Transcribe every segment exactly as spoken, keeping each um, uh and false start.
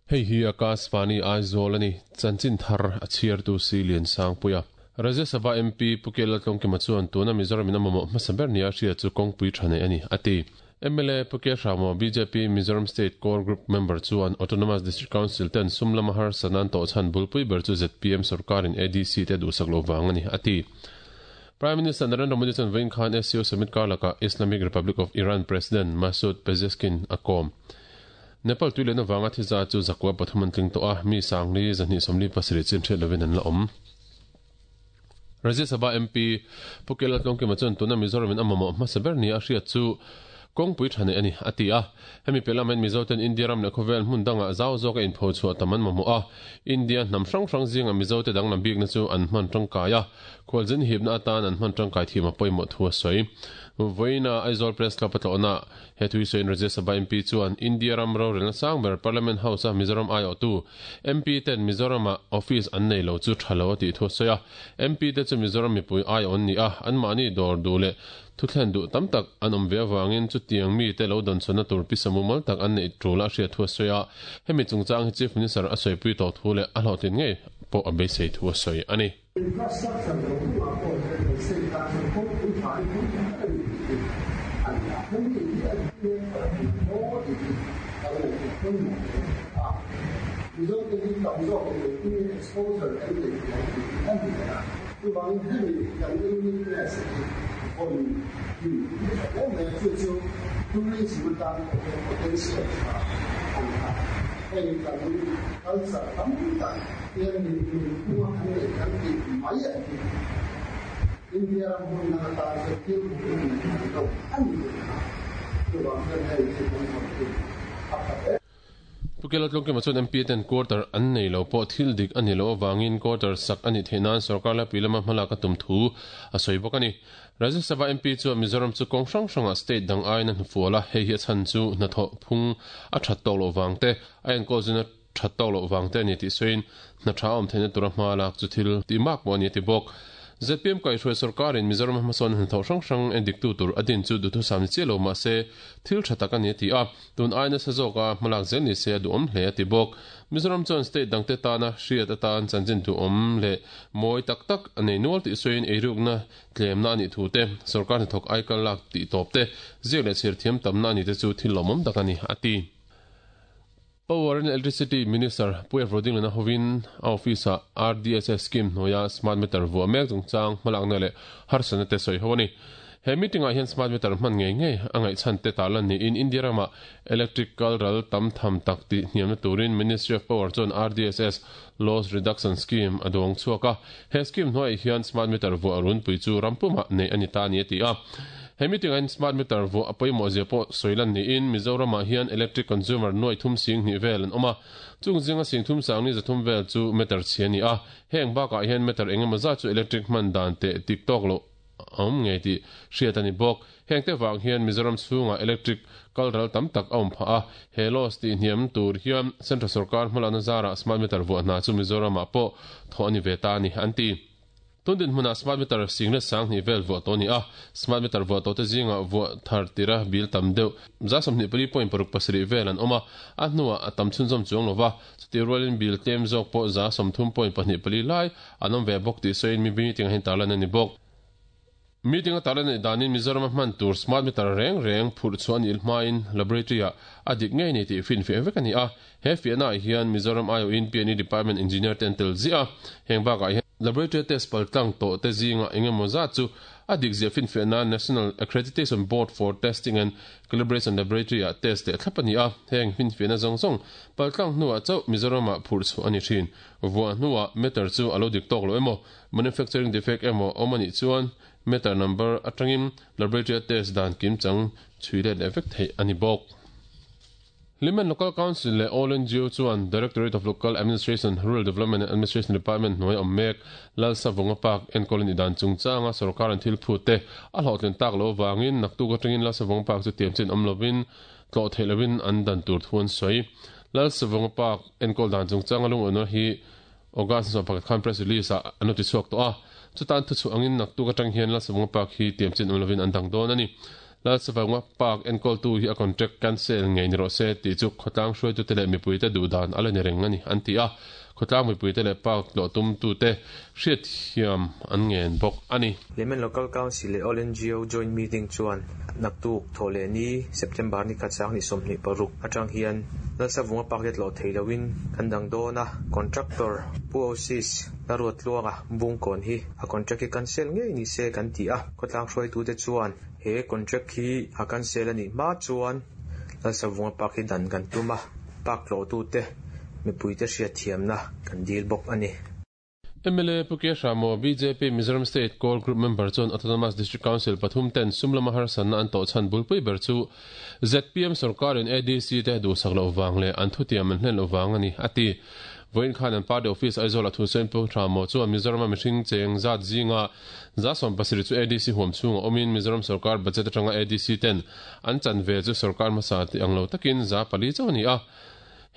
Hei hi Akashvani Aizawl ani chanchin thar a chhiar tu si lian sang puia Rajya Sabha M P Pukela Tlongkima chuan tuna Mizoram in a mamawh hmasa ber nia hria chu kawngpui tha nei ani ati M L A Puke Hramo B J P Mizoram State Core Group member chuan Autonomous District Council ten sumlama har sanan to chan bulpui ber chu Z P M sarkarin A D C te duhsak lo wang ani ati Prime Minister Narendra Modi chuan vawiin khan S C O Summit karlaka Islamic Republic of Iran President Masoud Pezeshkian a kawm Nepal tuilena wanga thiza chu zakwa pathuman tling to a mi sangli zani somli pasri chin the lovin an la om Rajya Sabha M P Pukela Tlongkima chuan tuna Mizoram in amamo hmasa ber ni a hria chu kawngpui tha nei ani ati a hemi pelamen Mizoten India ram leh khawvel hmun danga zau zawk a inpho chhuah taman mamawh a India hnam hrang hrang zinga Mizote dang lam bikna chu an hman tangkai a khualzin hipna atan an hman tangkai thim a pawimawh thu a sawi Voina Aizawl Press Club atlawhna he thui sawiin Rajya Sabha M P chuan India ram rorelna sangber Parliament House a Mizoram ai awh tu M P ten Mizoram a office an nei lo chu tha lo a tih thu a sawi a M P te chu Mizoram mipui ai awn ni a an mahni dawr duh leh thu thlen duh tam tak an awm ve awangin chu tiang mi te lo dawn chhawna tur pisamu mal tak an nei tul a hriat thu a sawi a hemi chungchang hi Chief Minister a sawipui tawh thu leh a hlawhtlin ngei pawh a beisei thu a sawi ani. Infrastructure lo kawngah pawh hian kan state tan chuan kawngpui tha hi pui tak a ni tih a ni a. Hemi hi a dik e maw tih hi kan ngaihtuah pawimawh hle a. Mizote hi tam zawkin engtin nge exposure kan neih theih ang tih hi a ni ber a. Chuvangin hemi kan uniqueness hi vawn him hi a tha hle mai a. Chu chu tourism atan pawh hian potential tha a ni a. Heng kan culture tam tak hian nunphunga kan neih kan tih mai a ni. India ram hmun dang atan chuan thil hmuhnawm leh ngaihnawm a ni thei a. Chuvang chuan hei hi kan vawn him a tha hle. Pukela Tlongkima chuan M P ten quarter an nei lo pawh thil dik ani lo awangin quarter sak ani theih nan sarkar laipui lama hmalak a tum thu a sawi bawk ani. Rajya Sabha M P chuan Mizoram chu kawng hrang hranga state dang aiin a hnufual a hei hi a chhan chu hnathawh phung a that tawk loh wang te a enkawl zuna that tawk loh wang te ani tih sawiin hna tha awm theihna tura hma lak chu thil tih mak pawh ani a ti bawk. Z P M kaihhruai sarkarin Mizoram hmasawn hnathawh hrang hrang en diktu tur a din chu duhthusam ni chiah lo mah se thil tha tak ani a ti a tun aina sa zawk a hmalak zel ni se a duhawm hle a ti bawk. Mizoram chuan state dangte tana hriat atan chanchin duhawm leh mawi tak tak a nei nual tih sawiin eirukna tlemna ani thu te sarkar hnathawk aikal lak tih tawp te ziak leh chhir thiam tamna ani te chu thil lawmawm tak ani a ti. Power and Electricity Minister Puia Roding lena hovin a office a R D S S scheme hnuaia smart meter vuah mek chungchang hmalakna leh harsatna te sawi ho ani. He meeting ah hian smart meter hman ngei ngei a ngaihchhan te tarlan niin India rama electrical ral tam tham tak tih hniamna turin Ministry of Power chuan R D S S Loss Reduction Scheme a duang chhuak a. He scheme hnuaiah hian smart meter vuah runpui chu rampumah nei ani ta ani a ti a. He meeting ah hian smart meter vuah a pawimawh zia pawh sawilan niin Mizoramah hian electric consumer nuai thum sing hnih vel an awm a. Chung zinga sing thum sang ni zathum vel chu meter chhi ani a. Heng bakah hian meter engemaw zat chu electric hman dan te tik tawk lo awm ngei tih hriat ani bawk. Heng te wang hian Mizoram chhunga electric kal ral tam tak a awm phah a. He loss tih hniam tur hian Central Sarkar hmalakna zara smart meter vuah hna chu Mizoramah pawh thawh ani ve ta ani an ti. Tundin hmuna smart meter singlet sang hnih vel vuah tawh ani a. Smart meter vuah tawh te zinga vuah thar tira bil tam deuh za sawmhnih pali point paruk pasarih vel an awm a. A hnuah a tam chhunzawm chuang lova chuti rualin bil tlem zawk pawh za sawmthum point pahnih pali lai an awm ve bawk tih sawiin mi meeting ah hian tarlan ani bawk. Meeting a tarlan ani danin Mizoram a hman tur smart meter reng reng phurh chu ani hmain laboratory ah a dik ngei ni tih fin fiah vek ani a. He fiahna ah hian Mizoram I O in P N E Department Engineer ten tel ziah a. Heng bakah hian laboratory test paltlang tawh te zinga engemaw zat chu a dik zia fin fiahna National Accreditation Board for Testing and Calibration Laboratory ah test leh thlap ani a. Heng fin fiahna zawng zawng paltlang hnuah chauh Mizoram ah phurh chu ani thin. Vuah hnuah meter chu a lo dik tawk lo emaw manufacturing defect emaw awm ani chuan meter number atangin laboratory test dan kim chang chhui let leh vek theih ani bawk. Hlimen Local Council leh All N G O chuan Directorate of Local Administration, Rural Development and Administration Department hnuai awm mek Lalsavunga Park enkawl ani dan chungchanga sarkar an thil phut te a hlawhtlin tak lo wangin naktuk atangin Lalsavunga Park chu tiam chin awm lovin tlawh theih lovin an dan tur thu an sawi. Lalsavunga Park enkawl dan chungchanga lung awna hi August sawm pakhat khan press release ah an lo ti chhuak tawh a. Chutan thu chu angin nak tu ka tang hian Lalsavunga Park hi tiam chin awm lovin an dang dawn ani. Lalsavunga Park enkawl tu hi a contract cancel ngei ni rawh se tih chu khawtlang hruaitu te leh mipui te duh dan ala ni reng ani an ti a. Khawtlang mipui te leh park tlawh tum tu te hriat thiam an ngen bawk ani. Hlimen Local Council leh All N G O Joint Meeting chuan naktuk thawhleh ni September ni khat sang ni sawmhnih paruk atang hian Lalsavunga Park te tlawh thei loin kan dang dawn a. Contractor Pu Osis Laruat Tluanga Bungkawn hi a contract hi cancel ngei ni se kan ti a. Khawtlang hruaitu te chuan he contract hi a cancel ani hma chuan Lalsavunga Park hi dan kan tum a, park tlawh tu te mipui te hriat thiamna kan dil bawk ani. M L A Pu K Hramo, B J P Mizoram State Core Group member chuan Autonomous District Council pathum ten sumlama harsatna an tawh chhan bulpui ber chu Z P M sorkarin A D C te duhsak loh vang leh an thutiam an hlen loh vang ani a ti. Voin khan an party office Aizawl a thu sawiin Pu Hramo chuan Mizoram mihring cheng zat zinga za sawm pasarih chu A D C huam chhunga awmin Mizoram sorkar budget atanga A D C ten an chan ve chu sorkar hmasa ti ang lo takin za pali chauh ani a.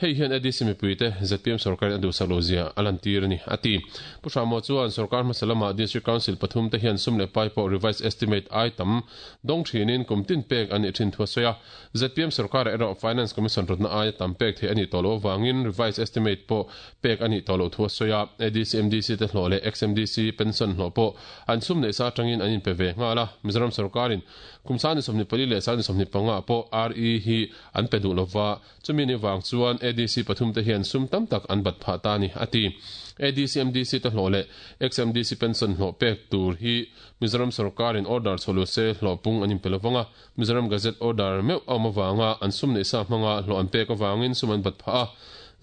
Hei hian A D C mipui te Z P M sorkar a duhsak lo zia a lan tir ani a ti. Pu Hramo chuan sorkar hmasa lama District Council pathum te hian sum leh pai pawh revised estimate ai tam dawng thinin kum tin pek ani thin thu a sawi a. Z P M sorkar erawh Finance Commission rawtna aia tam pek thei ani tawh lo wangin revised estimate pawh pek ani tawh lo thu a sawi a. A D C M D C te hlawh leh X M D C pension hlawh pawh an sum nei sa atangin an inpe ve nghal a. Mizoram sorkarin kum sangni sawmhnih pali leh sangni sawmhnih panga pawh R E hi an pe duh lova, chumi ni wang chuan A D C pathum te hian sum tam tak an bat phah ta ni a ti. A D C M D C te hlawh leh X M D C pension hlawh pek tur hi Mizoram sorkarin order chholu se hlawh pung an inpe lovanga. Mizoram Gazette order meuh awm awanga an sum nei sa hmanga hlawh an pek awangin sum an bat phah a.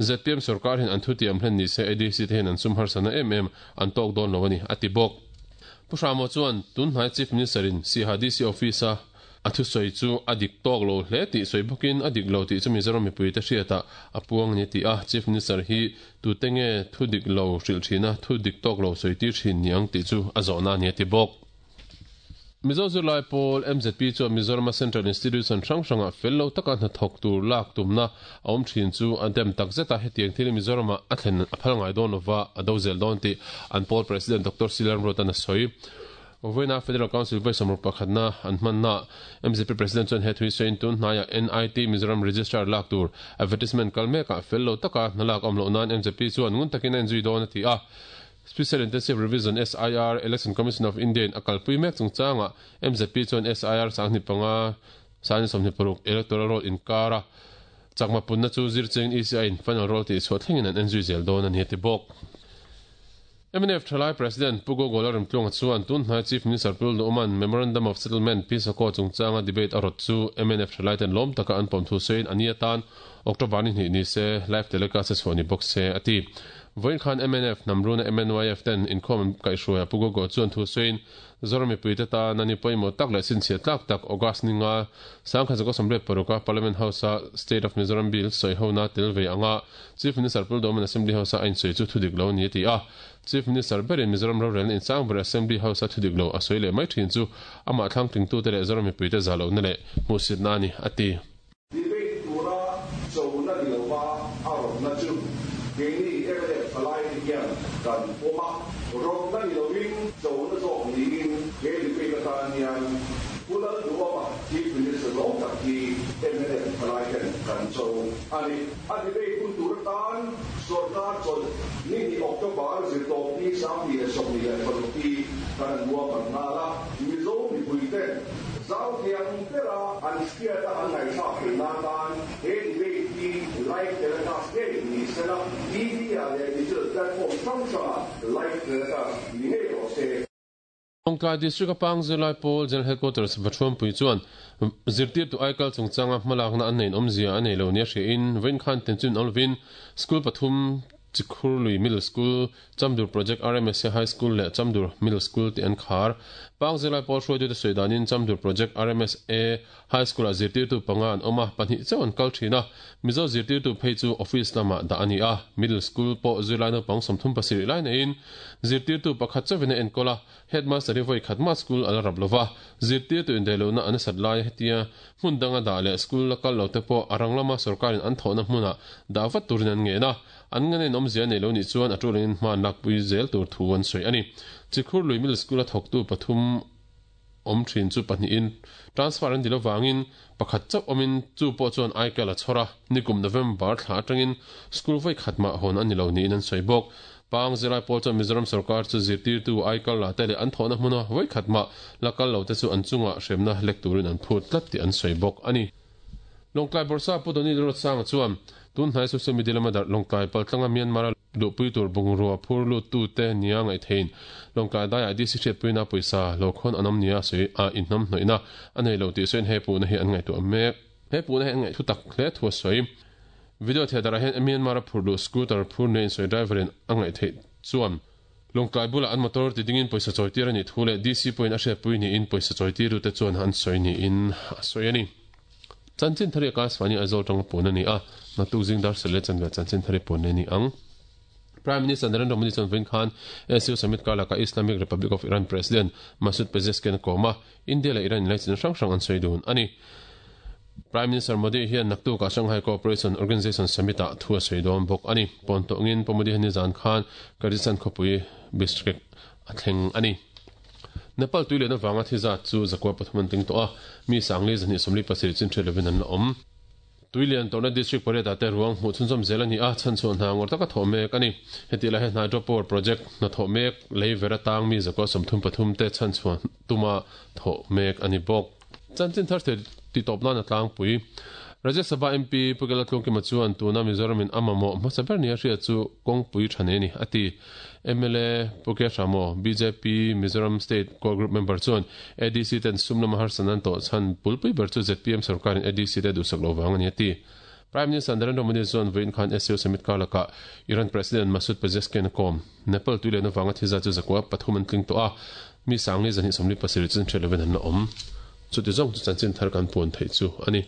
Z P M sorkar hin an thutiam hlen ni se A D C te hian an sum harsana em em an tawk dawn lo ani a ti bawk. Pu Hramo chuan tun hnai Chief Minister in Siaha D C office a a thu sawi chu a dik tawk lo hle tih sawi bawkin a dik lo tih chu Mizoram mipui te hriata a puang ni ti a. Chief Minister hi tute nge thu dik lo hrilh thina thu dik tawk lo sawi tir thin niang tih chu a zawhna ni a ti bawk. Mizo Zirlai Pawl M Z P chuan Mizoram Central Institution hrang hranga fel lo taka hnathawk tur lak tumna a awm thin chu an dem tak zeta. Hetiang thil Mizoram a thlen a phal ngai dawn lova, a do zel dawn tih an pawl President Doctor C Lalremruata'n a sawi. Voina Federal Council voi samruk pakhatna an hmanna M Z P President chuan he thui sawiin tun hnaia N I T Mizoram Registrar lak tur advertisement kal meka fel lo taka hnalak awm loh nan M Z P chuan ngun takin a inzui dawn a ti a. Special Intensive Revision S I R Election Commission of India in a kalpui mek chungchanga M Z P chuan S I R sanghnih panga sangni sawmhnih paruk electoral roll inkara chakma punna chu zircheng E C I in final roll tih chhuah thlengin an enzui zel dawn ani a ti bawk. M N F Thalai President Pu Gogo Lalremtluanga chuan tun hnai Chief Minister Pu Lalduhoma'n Memorandum of Settlement Peace Accord chungchanga debate a rawt chu M N F Thalai ten lawm taka an pawm thu sawiin ani atan October ni hnih ni se, live telecast a chhuah ni bawk se a ti. Voin khan M N F Namruna M N Y F ten inkhawm kaihhruaia Pu Gogo chuan thu sawiin Zoram mipui te tan ani pawimawh tak leh chhinchhiah tlak tak August ni nga sangkhat zakua sawmriat paruka Parliament House a State of Mizoram Bill sawi hona tel ve anga Chief Minister Pu Lalduhoma'n Assembly House a a insawi chu thudik lo ni a ti a. Chief Minister berin Mizoram rorelna insang ber Assembly House a thudik lo a sawi leh mai thin chu amah thlang tling tu te leh Zoram mipui te za lo na leh hmuhsit na ani a ti. Debate tura chona ni lova a rawtna chu keini M N F thalai te hian kan pawm a. Rawtna ni lovin chona zawk niin he debate atan hian Pu Lalduhoma Chief Minister lawm tak hi M N F thalai ten kan cho ani. A debate hun tur atan sorkar chawlh ni hnih October zirtawp ni sanghnih leh sawmhnih leh paruk hi kan an ruahman nghal a. Mizo mipui ten zau thiang bera an hriata an ngaihthlak theih nan tan he debate hi live telecast ngei ni sela, T V ah leh digital platform hrang hrangah live telecast ni ngei rawh se. Lawngtlai District a Pang Zirlai Pawl General Headquarters Vathuampui chuan zirtirtu aikal chungchanga hmalakna an nein awmzia a nei lo nia hriain vawiin khan tenchun awm lovin school pathum, Chikhurlui Middle School, Chamdur Project R M S A High School leh Chamdur Middle School te an khar. Pang Zirlai Pawl hruaitu te sawi danin Chamdur Project R M S A High School ah zirtirtu panga an awm a, pahnih chauh an kal thin a. Mizo zirtirtu phei chu office lamah dah ani a. Middle School pawh zirlai naupang sawmthum pasarih lai neiin zirtirtu pakhat chauhin a enkawl a, headmaster hi vawi khat ma school ala rap lova. Zirtirtu indaihlohna an sat lai hetia hmun danga dah leh school la kal lo te pawh a rang lama sorkarin an thawhna hmunah dah vat turin an ngen a. An nganin awmzia nei lo nih chuan a tulin hma an lakpui zel tur thu an sawi a ni. Chikhur lui Middle School a thawktu pathum awm thin chu pahnihin transfer an dil avangin pakhat chauh awmin chu pawh chuan aikal a chhawr a, nikum November thla atangin school vawi khat mah hawn a ni lo niin an sawi bawk. Pang zirlai pawl chuan Mizoram sorkar chu zirtirtu aikal la te leh an thawhna hmuna vawi khat mah la kal lo te chu an chunga hremna lek turin an phut tlat tih an sawi bawk a ni. Lawngtlai Bawrhsa Pu Doni Lalruatsanga chuan tun hnai social media lama darh Lawngtlai paltlanga Myanmar-a luhpui tur bungrua phur luttute nia ngaihtheiin Lawngtlai daiah D C hriatpuina pawisa lo khawn an awm nia sawi a inhnam hnawihna a nei lo tih sawiin he puhna hi an ngaihtuah mek. He puhna hi an ngaih thu tak hle thu a sawi. Video theater-ah hian Myanmar-a phur luh scooter phur nia insawi driver-in a ngaihtheih chuan Lawngtlai bulah an motor ti dingin pawisa chawitir a nih thu leh D C pawhin a hriatpui niin pawisa chawitirute chuan an sawi niin a sawi a ni. Chanchin thari a Kasvani Aizawl tanga pawn a ni a, naktuk zing dar sel leh chanve chanchin thari pawn a ni ang. Prime Minister Narendra Modi chuan vawiin khan S U Summit karlakah Islamic Republic of Iran President Masoud Pezeshkian a kawm a, India leh Iran inlaichin hrang hrang an sawi dun a ni. Prime Minister Modi hian naktukah Shanghai Cooperation Organization Summit-ah thu a sawi dawn bawk a ni. Pawn tawngin Pu Modi hian nizan khan Kyrgyzstan khawpui Bishkek a thleng a ni. Nepal tui lehna vanga thi zat chu zakua pathum an tling tawh a, mi sangli zahnih sawmli pasarih chin hriat lovin an la awm. Tui lian tawhna district pariat ah te ruang hmuh chhunzawm zel a ni a, chhanchhuah hna ngawr taka thawh mek a ni. Heti lai hian hydro power project hnathawh mek lei ver atang mi zakua sawmthum pathum te chhanchhuah tuma thawh mek a ni bawk. Chanchin thar thei ti tawp nan a tlangpui. Rajya Sabha M P Pu Kela Tlungkima chuan tuna Mizoramin a mamawh hmasa ber nia hriat chu kawngpui tha nei a ni, a ti. M L A Pu Ke Hramo, B J P Mizoram State Core Group member chuan A D C ten sum lama harsatna an tawh chhan pulpui ber chu Z P M sorkarin A D C te duhsak lo vang a ni, a ti. Prime Minister Narendra Modi chuan vawiin khan S C O Summit kar lakah Iran President Masoud Pezeshkian a kawm. Nepal tui lehna vanga thi zat chu zakua pathum an tling tawh a, mi sangli zahnih sawmli pasarih chu hriat lovin an la awm. Chuti zawng chu chanchin thar kan puan theih chu a ni.